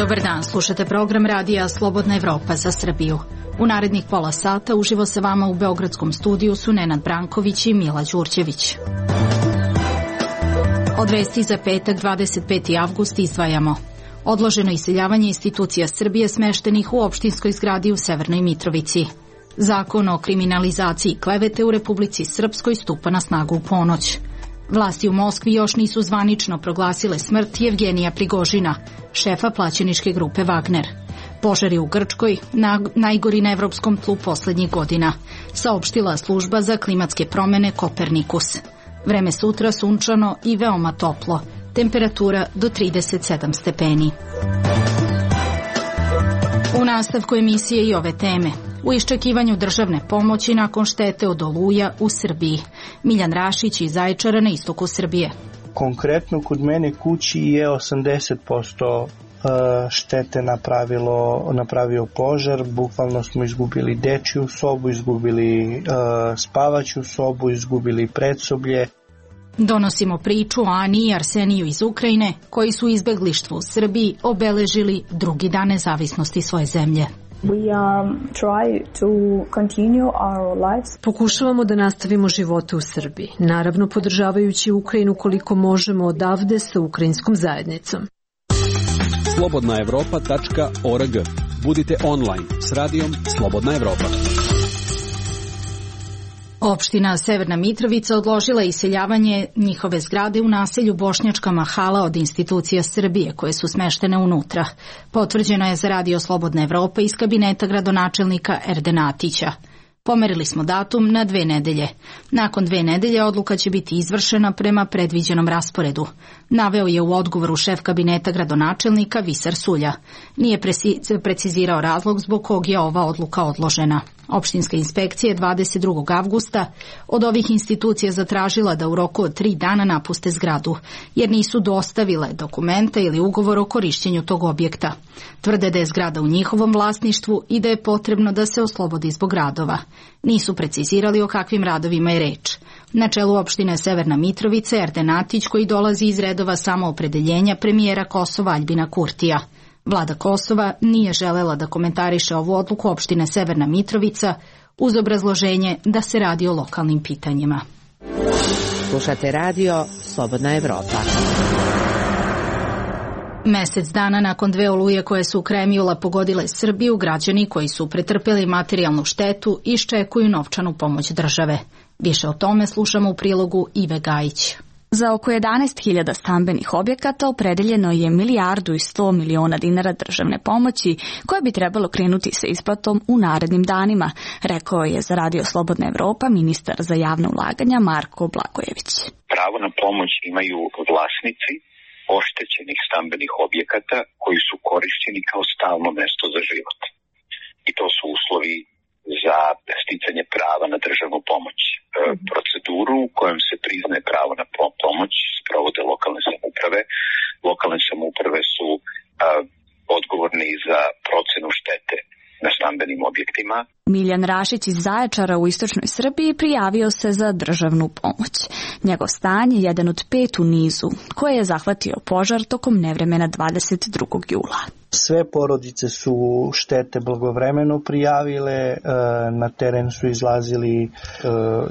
Dobar dan, slušate program radija Slobodna Evropa za Srbiju. U narednih pola sata uživo sa vama u beogradskom studiju su Nenad Branković i Mila Đurđević. Od vesti za petak 25. avgust izdvajamo: odloženo iseljavanje institucija Srbije smeštenih u opštinskoj zgradi u Severnoj Mitrovici. Zakon o kriminalizaciji klevete u Republici Srpskoj stupa na snagu u ponoć. Vlasti u Moskvi još nisu zvanično proglasile smrt Jevgenija Prigožina, šefa plaćeničke grupe Wagner. Požari u Grčkoj, najgori na evropskom tlu poslednjih godina, saopštila služba za klimatske promene Kopernikus. Vreme sutra sunčano i veoma toplo, temperatura do 37 stepeni. U nastavku emisije i ove teme. U iščekivanju državne pomoći nakon štete od oluja u Srbiji. Miljan Rašić iz Zaječara na istoku Srbije. Konkretno kod mene kući je 80% štete napravio požar. Bukvalno smo izgubili dečju sobu, izgubili spavaću sobu, izgubili predsoblje. Donosimo priču o Ani i Arseniju iz Ukrajine, koji su izbeglištvo u Srbiji obeležili drugi dan nezavisnosti svoje zemlje. Pokušavamo da nastavimo živote u Srbiji, naravno podržavajući Ukrajinu koliko možemo odavde sa ukrajinskom zajednicom. Slobodnaevropa.org. Budite online s radijom Slobodna Evropa. Opština Severna Mitrovica odložila iseljavanje njihove zgrade u naselju Bošnjačka Mahala od institucija Srbije koje su smeštene unutra. Potvrđeno je za radio Slobodna Evropa iz kabineta gradonačelnika Erdena Atića. Pomerili smo datum na 2 nedelje. Nakon 2 nedelje odluka će biti izvršena prema predviđenom rasporedu. Naveo je u odgovoru šef kabineta gradonačelnika Visar Sulja. Nije precizirao razlog zbog kog je ova odluka odložena. Opštinska inspekcija 22. avgusta od ovih institucija zatražila da u roku od 3 dana napuste zgradu, jer nisu dostavile dokumente ili ugovor o korišćenju tog objekta. Tvrde da je zgrada u njihovom vlasništvu i da je potrebno da se oslobodi zbog radova. Nisu precizirali o kakvim radovima je reč. Na čelu opštine Severna Mitrovica je Erden Atić, koji dolazi iz redova samoopredeljenja premijera Kosova Aljbina Kurtija. Vlada Kosova nije želela da komentariše ovu odluku opštine Severna Mitrovica uz obrazloženje da se radi o lokalnim pitanjima. Slušate radio Slobodna Evropa. Mesec dana nakon 2 oluje koje su krajem jula pogodile Srbiju, građani koji su pretrpeli materijalnu štetu iščekuju novčanu pomoć države. Više o tome slušamo u prilogu Ive Gajić. Za oko 11.000 stambenih objekata opredeljeno je 1.100 miliona dinara državne pomoći koje bi trebalo krenuti sa isplatom u narednim danima, rekao je za radio Slobodna Evropa ministar za javna ulaganja Marko Blagojević. Pravo na pomoć imaju vlasnici oštećenih stambenih objekata koji su korišćeni kao stalno mesto za život. I to su uslovi za sticanje prava na državnu pomoć. Proceduru u kojom se priznaje pravo na pomoć sprovode lokalne samouprave. Lokalne samouprave su odgovorni za procenu štete na stambenim objektima. Miljan Rašić iz Zaječara u istočnoj Srbiji prijavio se za državnu pomoć. Njegov stan je jedan od 5 u nizu koje je zahvatio požar tokom nevremena 22. jula. Sve porodice su štete blagovremeno prijavile, na teren su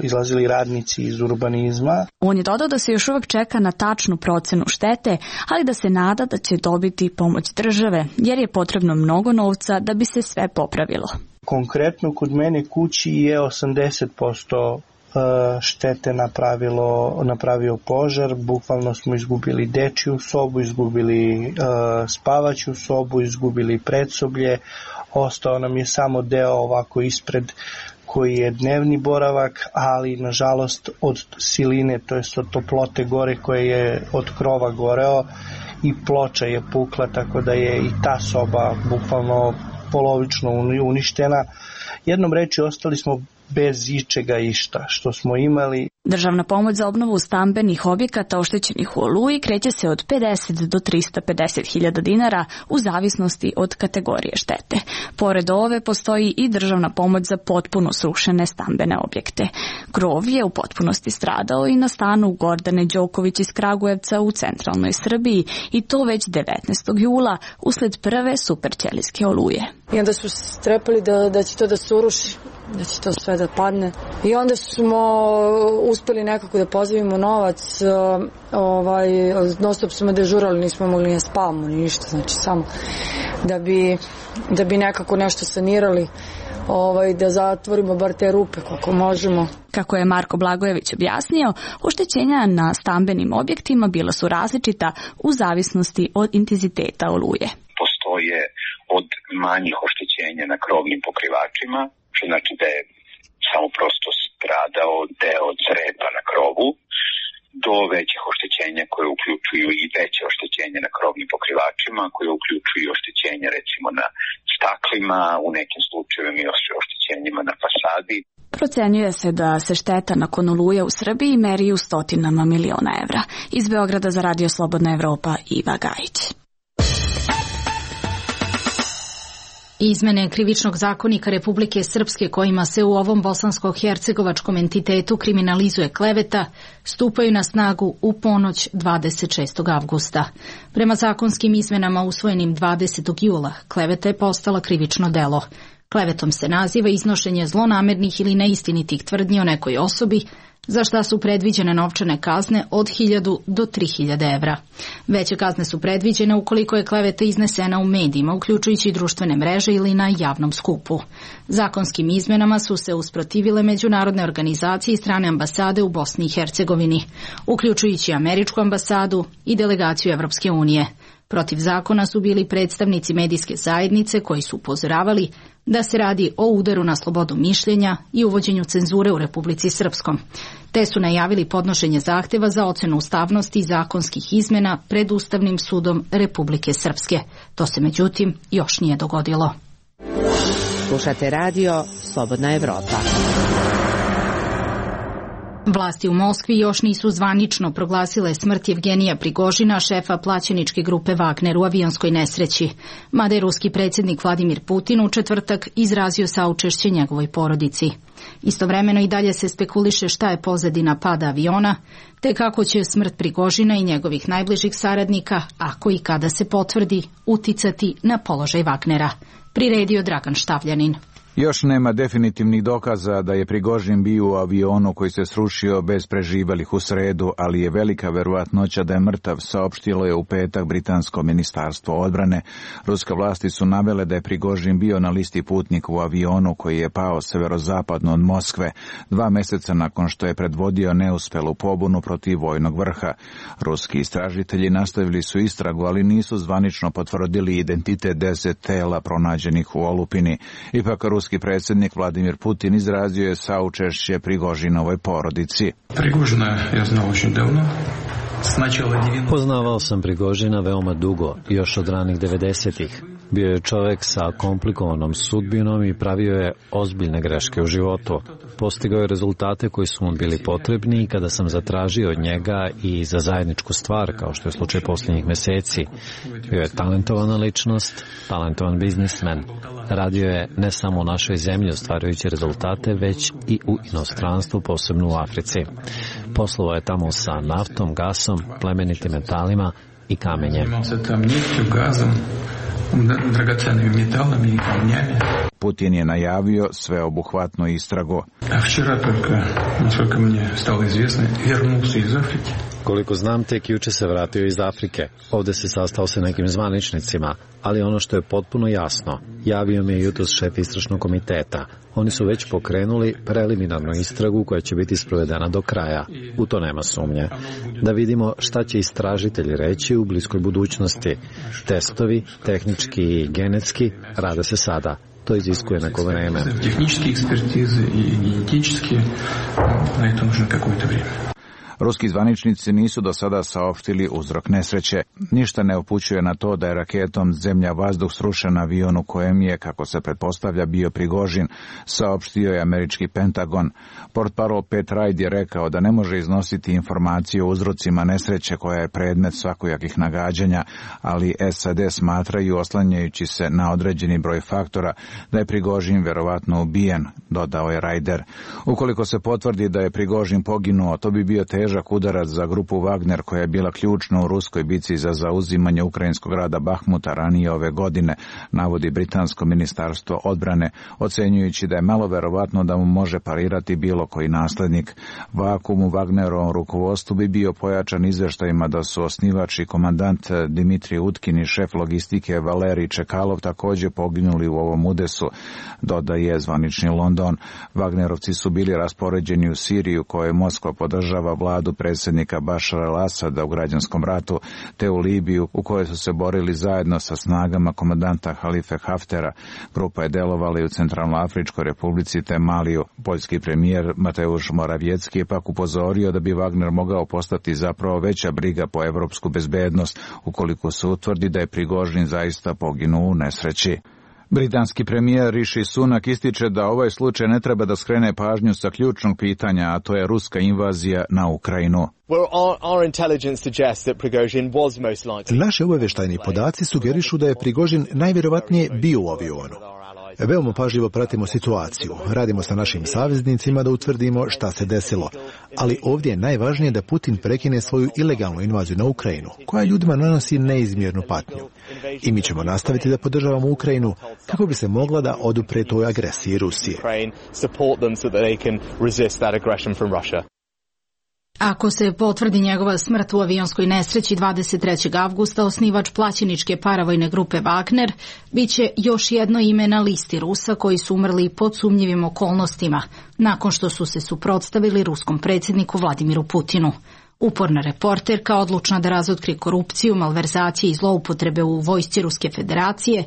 izlazili radnici iz urbanizma. On je dodao da se još uvek čeka na tačnu procenu štete, ali da se nada da će dobiti pomoć države, jer je potrebno mnogo novca da bi se sve popravilo. Konkretno kod mene kući je 80% štete napravio požar. Bukvalno smo izgubili dečju sobu, izgubili spavaću sobu, izgubili predsoblje. Ostao nam je samo deo ovako ispred koji je dnevni boravak, ali nažalost od siline, to jest od toplote gore koje je od krova goreo, i ploča je pukla, tako da je i ta soba bukvalno polovično uništena. Jednom reči ostali smo bez ičega išta što smo imali. Državna pomoć za obnovu stambenih objekata oštećenih u Oluji kreće se od 50 do 350.000 dinara u zavisnosti od kategorije štete. Pored ove postoji i državna pomoć za potpuno srušene stambene objekte. Krov je u potpunosti stradao i na stanu Gordane Đoković iz Kragujevca u centralnoj Srbiji i to već 19. jula usled prve superćelijske oluje. I onda su strepali da će to da se uruši, da će to sve da padne. I onda smo uspeli nekako da pozivimo novac, non stop smo dežurali, nismo mogli ne spavamo ni ništa, znači samo da bi nekako nešto sanirali, da zatvorimo bar te rupe koliko možemo. Kako je Marko Blagojević objasnio, oštećenja na stambenim objektima bila su različita u zavisnosti od intenziteta oluje. Postoje od manjih oštećenja na krovnim pokrivačima, što znači da je samo prosto stradao deo crepa na krovu, do većih oštećenja koje uključuju i veće oštećenja na krovnim pokrivačima, koje uključuju oštećenja recimo na staklima, u nekim slučajevima i oštećenjima na fasadi. Procenjuje se da se šteta nakon oluje u Srbiji meri u stotinama miliona evra. Iz Beograda za Radio Slobodna Evropa, Iva Gajić. Izmene Krivičnog zakonika Republike Srpske kojima se u ovom bosansko-hercegovačkom entitetu kriminalizuje kleveta stupaju na snagu u ponoć 26. avgusta. Prema zakonskim izmenama usvojenim 20. jula kleveta je postala krivično delo. Klevetom se naziva iznošenje zlonamernih ili neistinitih tvrdnji o nekoj osobi, za šta su predviđene novčane kazne od 1.000 do 3.000 evra. Veće kazne su predviđene ukoliko je kleveta iznesena u medijima, uključujući društvene mreže ili na javnom skupu. Zakonskim izmenama su se usprotivile međunarodne organizacije i strane ambasade u Bosni i Hercegovini, uključujući Američku ambasadu i delegaciju Evropske unije. Protiv zakona su bili predstavnici medijske zajednice koji su upozoravali da se radi o udaru na slobodu mišljenja i uvođenju cenzure u Republici Srpskom, te su najavili podnošenje zahteva za ocenu ustavnosti zakonskih izmena pred Ustavnim sudom Republike Srpske. To se međutim još nije dogodilo. Slušate radio Slobodna Evropa. Vlasti u Moskvi još nisu zvanično proglasile smrt Evgenija Prigožina, šefa plaćeničke grupe Wagner u avionskoj nesreći, mada je ruski predsjednik Vladimir Putin u četvrtak izrazio saučešće njegovoj porodici. Istovremeno i dalje se spekuliše šta je pozadina pada aviona, te kako će smrt Prigožina i njegovih najbližih saradnika, ako i kada se potvrdi, uticati na položaj Wagnera. Priredio Dragan Štavljanin. Još nema definitivnih dokaza da je Prigožin bio u avionu koji se srušio bez preživelih u sredu, ali je velika verovatnoća da je mrtav, saopštilo je u petak britansko ministarstvo odbrane. Ruske vlasti su navele da je Prigožin bio na listi putnika u avionu koji je pao severozapadno od Moskve 2 mjeseca nakon što je predvodio neuspelu pobunu protiv vojnog vrha. Ruski istražitelji nastavili su istragu, ali nisu zvanično potvrdili identitet 10 tela pronađenih u olupini. Ipak ruski predsjednik Vladimir Putin izrazio je saučešće Prigožinovoj porodici. Prigožina ja znao очень davno. Poznavao sam Prigožina veoma dugo, još od ranih 90-ih. Bio je čovjek sa komplikovanom sudbinom i pravio je ozbiljne greške u životu. Postigao je rezultate koji su mu bili potrebni i kada sam zatražio od njega i za zajedničku stvar, kao što je slučaj posljednjih mjeseci. Bio je talentovana ličnost, talentovan biznismen. Radio je ne samo u našoj zemlji ostvarujući rezultate, već i u inostranstvu, posebno u Africi. Poslovao je tamo sa naftom, gasom, plemenitim metalima i kamenjem. Putin je najavio sveobuhvatnu istragu. Koliko znam, tek juče se vratio iz Afrike. Ovdje se sastao sa nekim zvaničnicima, ali ono što je potpuno jasno, javio mi je jutros šef istražnog komiteta. Oni su već pokrenuli preliminarnu istragu koja će biti sprovedena do kraja. U to nema sumnje. Da vidimo šta će istražitelji reći u bliskoj budućnosti. Testovi, tehnički i genetski, rade se sada. To iziskuje neko vreme. Tehnički ekspertize i genetički, na to nužno kakvo-to vrijeme. Ruski zvaničnici nisu do sada saopštili uzrok nesreće. Ništa ne upućuje na to da je raketom zemlja-vazduh srušen avion u kojem je, kako se pretpostavlja, bio Prigožin, saopštio je američki Pentagon. Portparol Pat Ryde je rekao da ne može iznositi informacije o uzrocima nesreće koja je predmet svakojakih nagađanja, ali SAD smatraju, oslanjajući se na određeni broj faktora, da je Prigožin verovatno ubijen, dodao je Ryder. Ukoliko se potvrdi da je Prigožin poginuo, to bi bio težak udarac za grupu Wagner koja je bila ključna u ruskoj bici za zauzimanje ukrajinskog grada Bahmuta ranije ove godine, navodi britansko ministarstvo odbrane, ocenjujući da je malo verovatno da mu može parirati bilo koji naslednik. Vakum u Wagnerovom rukovodstvu bi bio pojačan izveštajima da su osnivač i komandant Dimitrij Utkin i šef logistike Valerij Čekalov također poginuli u ovom udesu, dodaje zvanični London. Wagnerovci su bili raspoređeni u Siriju, kojoj Moskva podržava vladu predsjednika Bašara al-Asada u građanskom ratu, te u Libiju, u kojoj su se borili zajedno sa snagama komandanta Halife Haftera. Grupa je delovala i u Centralnoafričkoj republici te Maliju. Poljski premijer Mateusz Morawiecki je pak upozorio da bi Wagner mogao postati zapravo veća briga po evropsku bezbednost ukoliko se utvrdi da je Prigožin zaista poginuo u nesreći. Britanski premijer Rishi Sunak ističe da ovaj slučaj ne treba da skrene pažnju sa ključnog pitanja, a to je ruska invazija na Ukrajinu. Naši obavještajni podaci sugerišu da je Prigožin najvjerovatnije bio u avionu. Veoma pažljivo pratimo situaciju, radimo sa našim saveznicima da utvrdimo šta se desilo, ali ovdje je najvažnije da Putin prekine svoju ilegalnu invaziju na Ukrajinu, koja ljudima nanosi neizmjernu patnju. I mi ćemo nastaviti da podržavamo Ukrajinu kako bi se mogla da odupre toj agresiji Rusije. Ako se potvrdi njegova smrt u avionskoj nesreći 23. avgusta, osnivač plaćeničke paravojne grupe Wagner biće još jedno ime na listi Rusa koji su umrli pod sumnjivim okolnostima, nakon što su se suprotstavili ruskom predsjedniku Vladimiru Putinu. Uporna reporterka, odlučna da razotkri korupciju, malverzacije i zloupotrebe u vojsci Ruske federacije,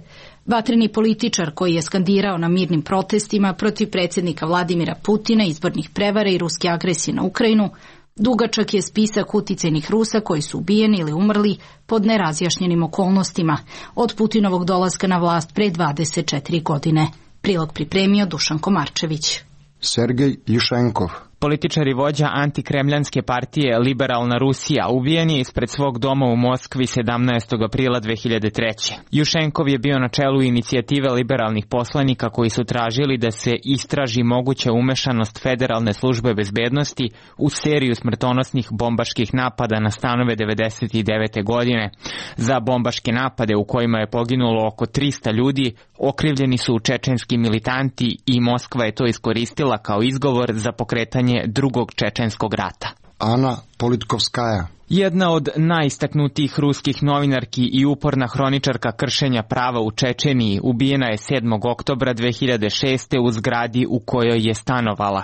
vatreni političar koji je skandirao na mirnim protestima protiv predsjednika Vladimira Putina, izbornih prevara i ruske agresije na Ukrajinu. Dugačak je spisak uticajnih Rusa koji su ubijeni ili umrli pod nerazjašnjenim okolnostima od Putinovog dolaska na vlast pre 24 godine. Prilog pripremio Dušan Komarčević. Sergej Jušenkov, političar i vođa antikremljanske partije Liberalna Rusija, ubijen je ispred svog doma u Moskvi 17. aprila 2003. Jušenkov je bio na čelu inicijative liberalnih poslanika koji su tražili da se istraži moguća umešanost Federalne službe bezbednosti u seriju smrtonosnih bombaških napada na stanove 99. godine. Za bombaške napade u kojima je poginulo oko 300 ljudi okrivljeni su čečenski militanti i Moskva je to iskoristila kao izgovor za pokretanje drugog čečenskog rata. Ana Politkovskaja, jedna od najistaknutijih ruskih novinarki i uporna hroničarka kršenja prava u Čečeniji, ubijena je 7. oktobra 2006. u zgradi u kojoj je stanovala.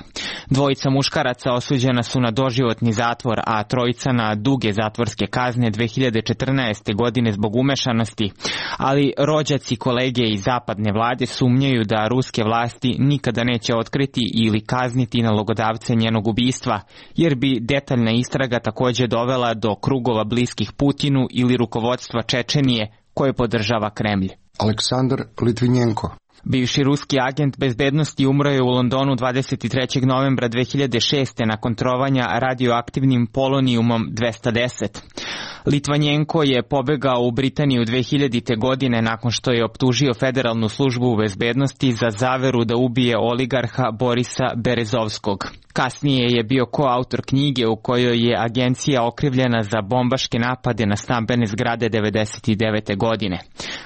Dvojica muškaraca osuđena su na doživotni zatvor, a trojica na duge zatvorske kazne 2014. godine zbog umešanosti, ali rođaci kolege iz zapadne vlade sumnjaju da ruske vlasti nikada neće otkriti ili kazniti nalogodavce njenog ubistva, jer bi detaljna istraga također dovela do krugova bliskih Putinu ili rukovodstva Čečenije koje podržava Kremlj. Aleksandar Litvinjenko, bivši ruski agent bezbednosti umro je u Londonu 23. novembra 2006. nakon trovanja radioaktivnim polonijumom 210. Litvanjenko je pobegao u Britaniju 2000. godine nakon što je optužio Federalnu službu bezbednosti za zaveru da ubije oligarha Borisa Berezovskog. Kasnije je bio koautor knjige u kojoj je agencija okrivljena za bombaške napade na stambene zgrade 99. godine.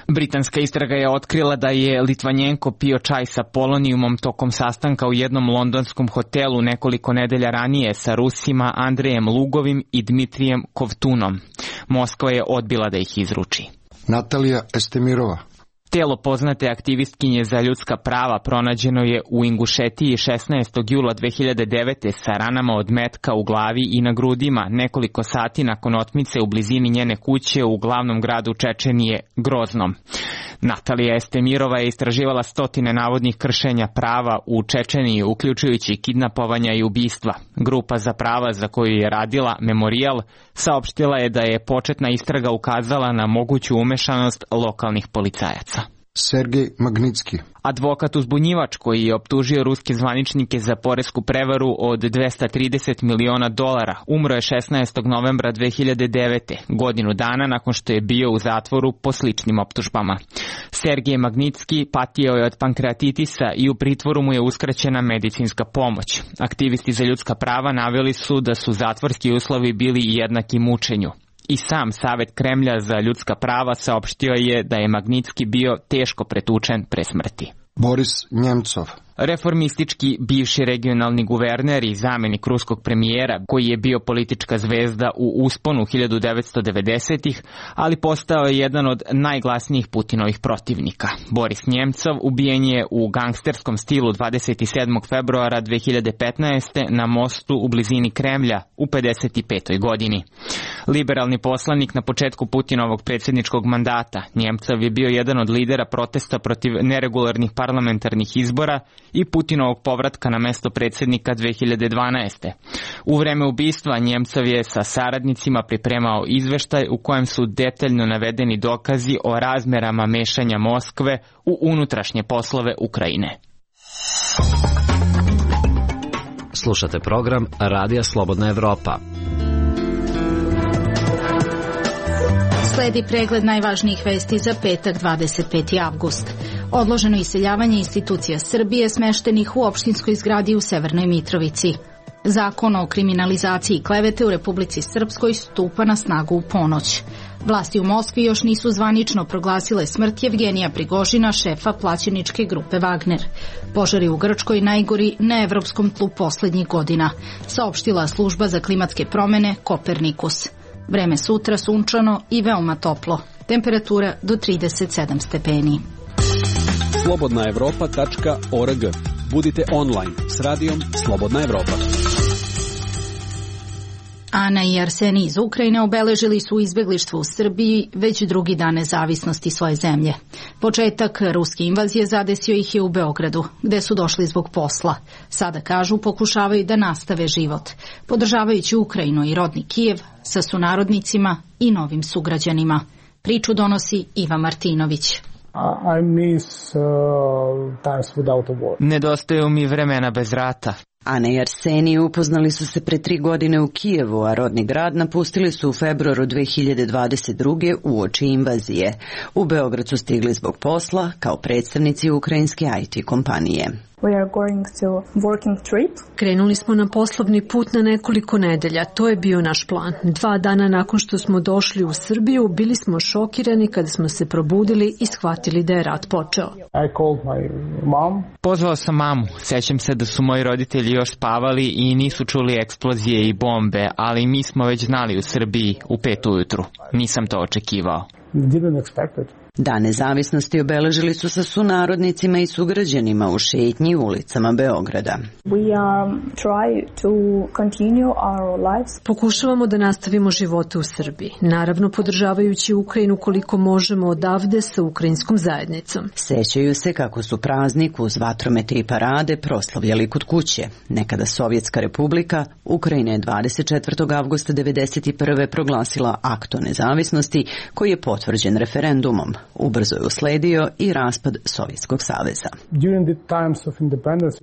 Britanska istraga je otkrila da je Litvanjenko pio čaj sa polonijumom tokom sastanka u jednom londonskom hotelu nekoliko nedelja ranije sa Rusima Andrejem Lugovim i Dmitrijem Kovtunom. Moskva je odbila da ih izruči. Natalija Estemirova, Telo poznate aktivistkinje za ljudska prava pronađeno je u Ingušetiji 16. jula 2009. sa ranama od metka u glavi i na grudima nekoliko sati nakon otmice u blizini njene kuće u glavnom gradu Čečenije, Groznom. Natalija Estemirova je istraživala stotine navodnih kršenja prava u Čečeniji, uključujući kidnapovanja i ubistva. Grupa za prava za koju je radila, Memorijal, saopštila je da je početna istraga ukazala na moguću umešanost lokalnih policajaca. Sergej Magnitski. Advokat uzbunjivač koji je optužio ruske zvaničnike za poresku prevaru od $230 miliona, umro je 16. novembra 2009. godinu dana nakon što je bio u zatvoru po sličnim optužbama. Sergej Magnitski patio je od pankreatitisa i u pritvoru mu je uskraćena medicinska pomoć. Aktivisti za ljudska prava naveli su da su zatvorski uslovi bili jednaki mučenju. I sam Savet Kremlja za ljudska prava saopštio je da je Magnitski bio teško pretučen pre smrti. Boris Njemcov. Reformistički bivši regionalni guverner i zamenik ruskog premijera, koji je bio politička zvezda u usponu 1990-ih, ali postao je jedan od najglasnijih Putinovih protivnika. Boris Njemcov ubijen je u gangsterskom stilu 27. februara 2015. na mostu u blizini Kremlja u 55. godini. Liberalni poslanik na početku Putinovog predsjedničkog mandata, Njemcov je bio jedan od lidera protesta protiv neregularnih parlamentarnih izbora i Putinovog povratka na mesto predsjednika 2012. U vreme ubistva Njemcov je sa saradnicima pripremao izveštaj u kojem su detaljno navedeni dokazi o razmerama mešanja Moskve u unutrašnje poslove Ukrajine. Slušate program Radija Slobodna Evropa. Sledi pregled najvažnijih vesti za petak 25. avgust. Odloženo iseljavanje institucija Srbije smeštenih u opštinskoj zgradi u Severnoj Mitrovici. Zakon o kriminalizaciji klevete u Republici Srpskoj stupa na snagu u ponoć. Vlasti u Moskvi još nisu zvanično proglasile smrt Jevgenija Prigožina, šefa plaćeničke grupe Wagner. Požari u Grčkoj najgori na evropskom tlu poslednjih godina, saopštila služba za klimatske promene Kopernikus. Vreme sutra sunčano i veoma toplo. Temperatura do 37 stepeni. slobodnaevropa.org. Budite online s radijom Slobodna Evropa. Ana i Arsenij iz Ukrajine obeležili su izbeglištvo u Srbiji već drugi dan nezavisnosti svoje zemlje. Početak ruske invazije zadesio ih je u Beogradu, gde su došli zbog posla. Sada, kažu, pokušavaju da nastave život, podržavajući Ukrajinu i rodni Kijev sa sunarodnicima i novim sugrađanima. Priču donosi Iva Martinović. Nedostaju mi vremena bez rata. Ana i Arsenij upoznali su se pre 3 godine u Kijevu, a rodni grad napustili su u februaru 2022. uoči invazije. U Beograd su stigli zbog posla kao predstavnici ukrajinske IT kompanije. Krenuli smo na poslovni put na nekoliko nedelja. To je bio naš plan. 2 dana nakon što smo došli u Srbiju, bili smo šokirani kada smo se probudili i shvatili da je rat počeo. Pozvao sam mamu. Sećam se da su moji roditelji još spavali i nisu čuli eksplozije i bombe, ali mi smo već znali u Srbiji u 5 ujutru. Nisam to očekivao. Dan nezavisnosti obeležili su sa sunarodnicima i sugrađanima u šetnji ulicama Beograda. Pokušavamo da nastavimo živote u Srbiji, naravno podržavajući Ukrajinu koliko možemo odavde sa ukrajinskom zajednicom. Sećaju se kako su praznik uz vatromete i parade proslavljali kod kuće. Nekada Sovjetska republika, Ukrajina je 24. avgusta 1991. proglasila akt o nezavisnosti koji je potvrđen referendumom. Ubrzo je usledio i raspad Sovjetskog saveza.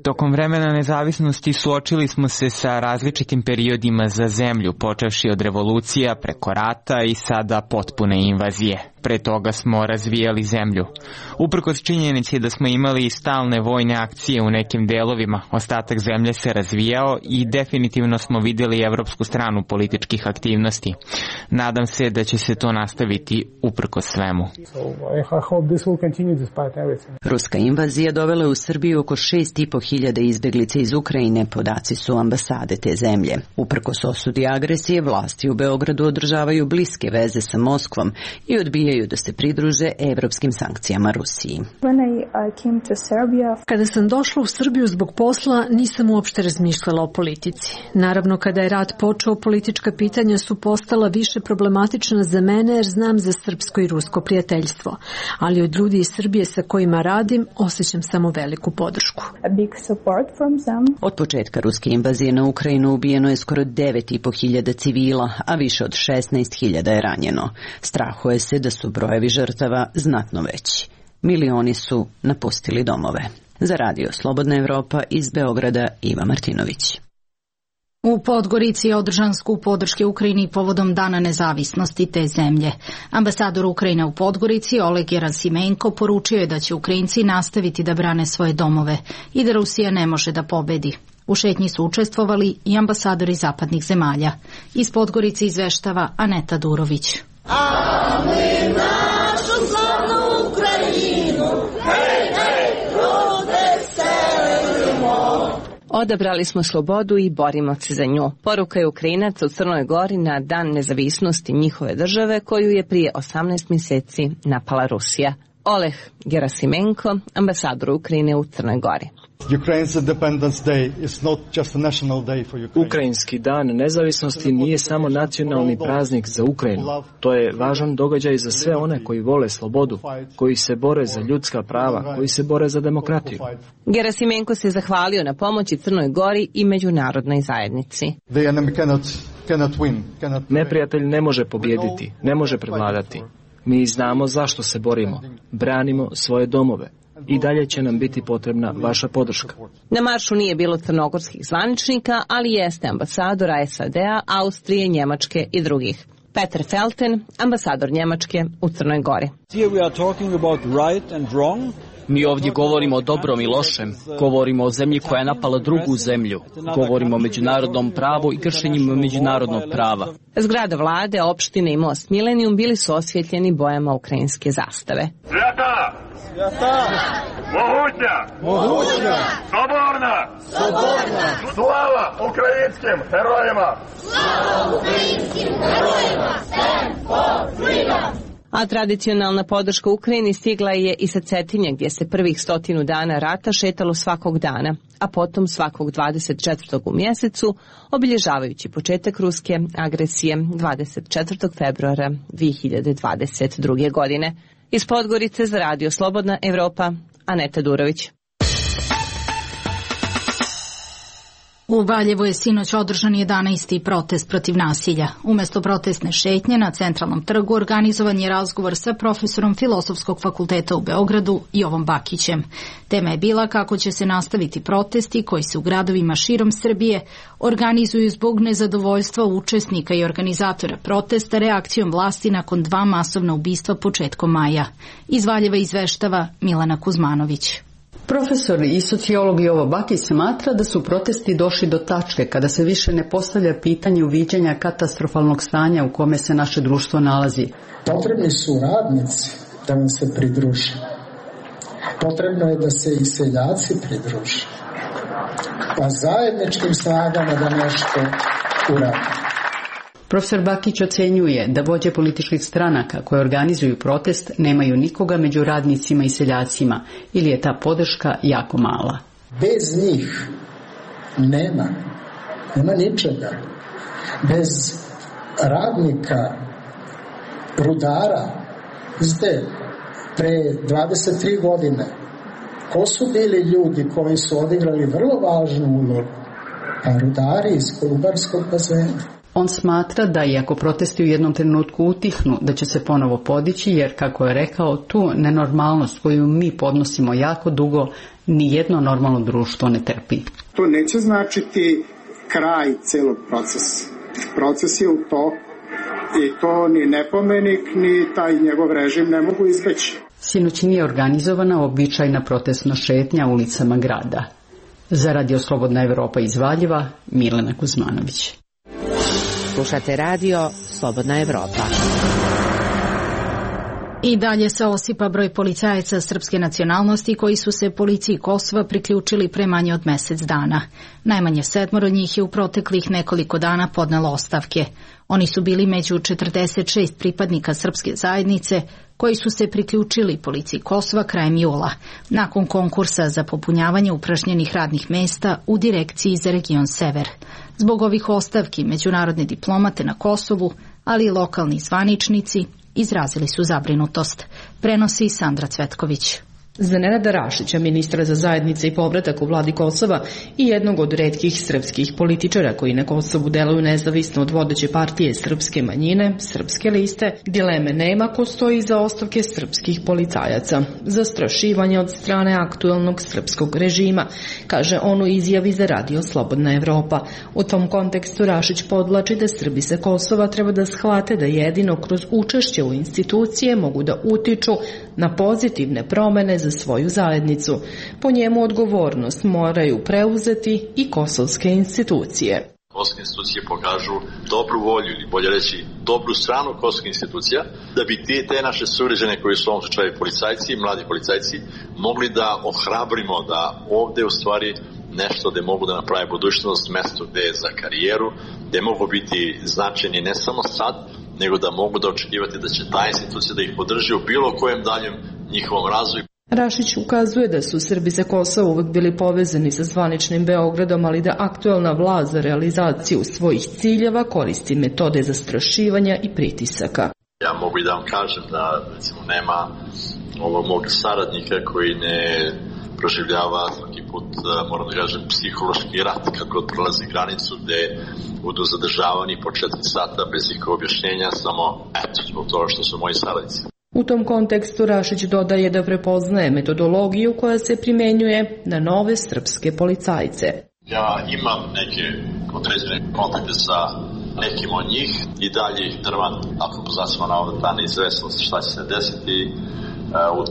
Tokom vremena nezavisnosti suočili smo se sa različitim periodima za zemlju, počevši od revolucija preko rata i sada potpune invazije. Pre toga smo razvijali zemlju. Uprkos činjenici da smo imali stalne vojne akcije u nekim delovima, ostatak zemlje se razvijao i definitivno smo vidjeli evropsku stranu političkih aktivnosti. Nadam se da će se to nastaviti uprkos svemu. Ruska invazija dovela u Srbiju oko 6.500 izbeglica iz Ukrajine, podaci su ambasade te zemlje. Uprkos osudi agresije, vlasti u Beogradu održavaju bliske veze sa Moskvom i odbijaju odbijaju da se pridruže evropskim sankcijama Rusiji. Kada sam došla u Srbiju zbog posla, nisam uopšte razmišljala o politici. Naravno, kada je rat počeo, politička pitanja su postala više problematična za mene jer znam za srpsko i rusko prijateljstvo. Ali od ljudi iz Srbije sa kojima radim, osjećam samo veliku podršku. Od početka ruske invazije na Ukrajinu ubijeno je skoro 9.500 civila, a više od 16.000 je ranjeno. Strahuje se da su brojevi žrtava znatno veći. Milioni su napustili domove. Za Radio Slobodna Evropa iz Beograda Iva Martinović. U Podgorici je održan skup podrške Ukrajini povodom Dana nezavisnosti te zemlje. Ambasador Ukrajine u Podgorici Oleg Gerasimenko poručio je da će Ukrajinci nastaviti da brane svoje domove i da Rusija ne može da pobedi. U šetnji su učestvovali i ambasadori zapadnih zemalja. Iz Podgorice izveštava Aneta Durović. A mi našu slavnu Ukrajinu, hej, hej, rozveselimo. Odabrali smo slobodu i borimo se za nju. Poruka je Ukrajinaca u Crnoj Gori na Dan nezavisnosti njihove države koju je prije 18 mjeseci napala Rusija. Oleg Gerasimenko, ambasador Ukrajine u Crnoj Gori. Ukrajinski dan nezavisnosti nije samo nacionalni praznik za Ukrajinu. To je važan događaj za sve one koji vole slobodu, koji se bore za ljudska prava, koji se bore za demokratiju. Gerasimenko se zahvalio na pomoći Crnoj Gori i međunarodnoj zajednici. Neprijatelj ne može pobijediti, ne može prevladati. Mi znamo zašto se borimo. Branimo svoje domove. I dalje će nam biti potrebna vaša podrška. Na maršu nije bilo crnogorskih zvaničnika, ali jeste ambasadora SAD-a, Austrije, Njemačke i drugih. Peter Felten, ambasador Njemačke u Crnoj Gori. Mi ovdje govorimo o dobrom i lošem, govorimo o zemlji koja je napala drugu zemlju, govorimo o međunarodnom pravu i kršenjima međunarodnog prava. Zgrada vlade, opštine i most Milenijum bili su osvjetljeni bojama ukrajinske zastave. Sveta! Sveta! Mogućna! Soborna! Slava ukrajinskim herojima! Slava ukrajinskim herojima! Stand for freedom! A tradicionalna podrška Ukrajini stigla je i sa Cetinja, gdje se prvih 100 dana rata šetalo svakog dana, a potom svakog 24. u mjesecu, obilježavajući početak ruske agresije 24. februara 2022. godine. Iz Podgorice za Radio Slobodna Evropa, Aneta Durović. U Valjevu je sinoć održan 11. protest protiv nasilja. Umesto protestne šetnje na Centralnom trgu organizovan je razgovor sa profesorom Filozofskog fakulteta u Beogradu Jovom Bakićem. Tema je bila kako će se nastaviti protesti koji se u gradovima širom Srbije organizuju zbog nezadovoljstva učesnika i organizatora protesta reakcijom vlasti nakon 2 masovna ubistva početkom maja. Iz Valjeva izveštava Milana Kuzmanović. Profesor i sociolog Jovo Bakić smatra da su protesti došli do tačke kada se više ne postavlja pitanje uviđanja katastrofalnog stanja u kome se naše društvo nalazi. Potrebni su radnici da vam se pridruže. Potrebno je da se i seljaci pridruže. Pa zajedničkim snagama da nešto uradimo. Profesor Bakić ocenjuje da vođe političkih stranaka koje organizuju protest nemaju nikoga među radnicima i seljacima ili je ta podrška jako mala. Bez njih nema ničega. Bez radnika, rudara, pre 23 godine, ko su bili ljudi koji su odigrali vrlo važnu ulogu? Pa rudari iz Kolubarskog bazena. On smatra da iako protesti u jednom trenutku utihnu, da će se ponovo podići, jer, kako je rekao, tu nenormalnost koju mi podnosimo jako dugo, ni jedno normalno društvo ne trpi. To neće značiti kraj celog procesa. Proces je u toku i to ni Nepomenik, ni taj njegov režim ne mogu izbeći. Sinoć nije organizovana običajna protestna šetnja ulicama grada. Za Radio Slobodna Evropa iz Valjeva, Milena Kuzmanović. Slušate Radio Slobodna Evropa. I dalje se osipa broj policajaca srpske nacionalnosti koji su se policiji Kosova priključili pre manje od mesec dana. Najmanje 7 njih je u proteklih nekoliko dana podnelo ostavke. Oni su bili među 46 pripadnika srpske zajednice koji su se priključili policiji Kosova krajem jula, nakon konkursa za popunjavanje upražnjenih radnih mesta u direkciji za region Sever. Zbog ovih ostavki međunarodne diplomate na Kosovu, ali i lokalni zvaničnici, izrazili su zabrinutost, prenosi Sandra Cvetković. Za Nenada Rašića, ministra za zajednice i povratak u vladi Kosova i jednog od retkih srpskih političara koji na Kosovu deluju nezavisno od vodeće partije srpske manjine, Srpske liste, dileme nema ko stoji iza ostavke srpskih policajaca. Zastrašivanje od strane aktuelnog srpskog režima, kaže on u izjavi za radio Slobodna Evropa. U tom kontekstu Rašić podvlači da Srbi sa Kosova treba da shvate da jedino kroz učešće u institucije mogu da utiču na pozitivne promene za svoju zajednicu. Po njemu odgovornost moraju preuzeti i kosovske institucije. Kosovske institucije pokažu dobru volju ili bolje reći dobru stranu kosovskih institucija da bi te naše sugrađane koji su u ovom slučaju policajci, mladi policajci, mogli da ohrabrimo da ovde u stvari nešto gde mogu da naprave budućnost, mesto gde je za karijeru, gde mogu biti značajni ne samo sad, nego da mogu da očekivati da će ta institucija da ih podrži u bilo kojem daljem njihovom razvoju. Rašić ukazuje da su Srbi sa Kosova uvek bili povezani sa zvaničnim Beogradom, ali da aktuelna vlast za realizaciju svojih ciljeva koristi metode zastrašivanja i pritisaka. Ja mogu i da vam kažem da recimo nema ovog mog saradnika koji ne proživljava svaki put, moram da kažem, psihološki rat kad god prelazi granicu gde budu zadržavani po 4 sata bez ikakvog objašnjenja, samo eto, zbog toga što su moji saradnici. U tom kontekstu Rašić dodaje da prepoznaje metodologiju koja se primenjuje na nove srpske policajce. Ja imam neke određene kontakte sa nekim od njih i dalje ih drvan, ako pozacimo na ovdje ta neizvesnost šta će se desiti u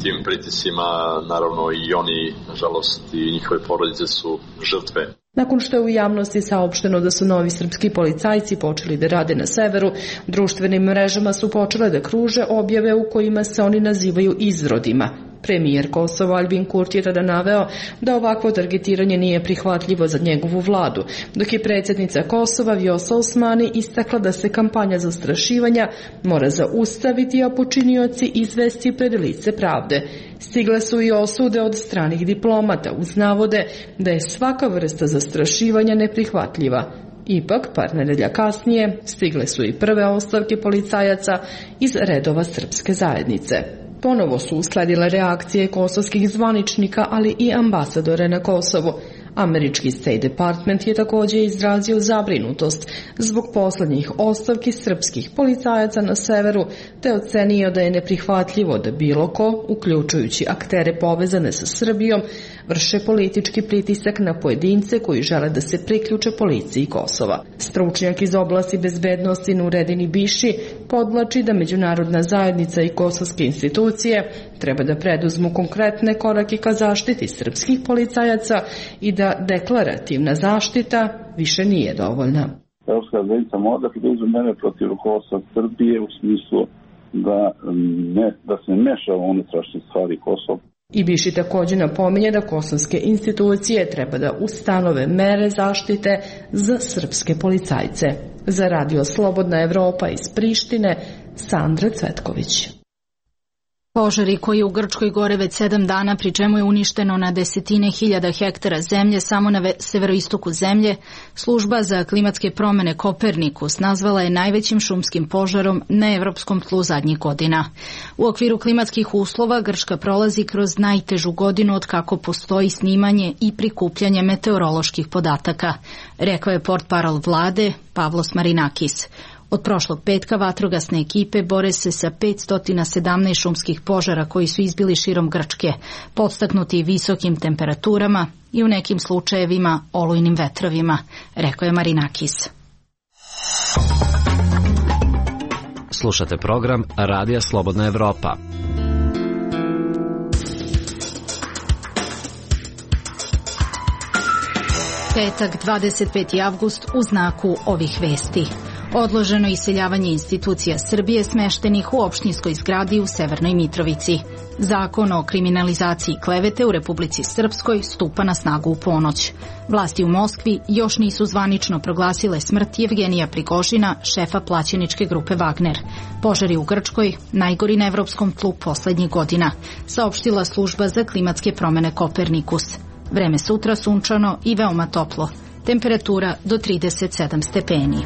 tim pritisima, naravno i oni, nažalost, i njihove porodice su žrtve. Nakon što je u javnosti saopšteno da su novi srpski policajci počeli da rade na severu, društvenim mrežama su počele da kruže objave u kojima se oni nazivaju izrodima. Premijer Kosova Albin Kurti je tada naveo da ovakvo targetiranje nije prihvatljivo za njegovu vladu, dok je predsjednica Kosova Vjosa Osmani istakla da se kampanja zastrašivanja mora zaustaviti, a počinioci izvesti pred lice pravde. Stigle su i osude od stranih diplomata uz navode da je svaka vrsta zastrašivanja neprihvatljiva. Ipak, par nedelja kasnije, stigle su i prve ostavke policajaca iz redova srpske zajednice. Ponovo su usledile reakcije kosovskih zvaničnika, ali i ambasadore na Kosovu. Američki State Department je također izrazio zabrinutost zbog poslednjih ostavki srpskih policajaca na severu, te ocenio da je neprihvatljivo da bilo ko, uključujući aktere povezane sa Srbijom, vrše politički pritisak na pojedince koji žele da se priključe policiji Kosova. Stručnjak iz oblasti bezbednosti Nuredin Ibiši podvlači da međunarodna zajednica i kosovske institucije treba da preduzmu konkretne korake ka zaštiti srpskih policajaca i da deklarativna zaštita više nije dovoljna. Evropska zajednica mora da preduzme mere protiv rukovodstva Srbije u smislu da se meša u unutrašnje stvari Kosova. Ibiši također napominje da kosovske institucije treba da ustanove mere zaštite za srpske policajce. Za radio Slobodna Evropa iz Prištine, Sandra Cvetković. Požari koji u Grčkoj gore već 7 dana, pri čemu je uništeno na desetine hiljada hektara zemlje samo na severoistoku zemlje, služba za klimatske promene Kopernikus nazvala je najvećim šumskim požarom na evropskom tlu zadnjih godina. U okviru klimatskih uslova Grčka prolazi kroz najtežu godinu od kako postoji snimanje i prikupljanje meteoroloških podataka, rekao je portparol vlade Pavlos Marinakis. Od prošlog petka vatrogasne ekipe bore se sa 517 šumskih požara koji su izbili širom Grčke, podstaknuti visokim temperaturama i u nekim slučajevima olujnim vetrovima, rekao je Marinakis. Slušate program Radija Slobodna Evropa. Petak, 25. avgust, u znaku ovih vesti. Odloženo iseljavanje institucija Srbije smeštenih u opštinskoj zgradi u Severnoj Mitrovici. Zakon o kriminalizaciji klevete u Republici Srpskoj stupa na snagu u ponoć. Vlasti u Moskvi još nisu zvanično proglasile smrt Jevgenija Prigožina, šefa plaćeničke grupe Wagner. Požari u Grčkoj najgori na evropskom tlu poslednjih godina, saopštila služba za klimatske promene Kopernikus. Vreme sutra sunčano i veoma toplo. Temperatura do 37 stepeni.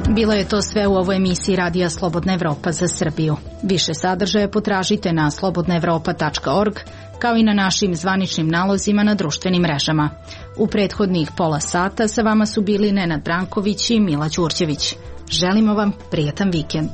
Bilo je to sve u ovoj emisiji Radija Slobodna Evropa za Srbiju. Više sadržaja potražite na slobodnaevropa.org, kao i na našim zvaničnim nalozima na društvenim mrežama. U prethodnih pola sata sa vama su bili Nenad Branković i Mila Đurđević. Želimo vam prijatan vikend.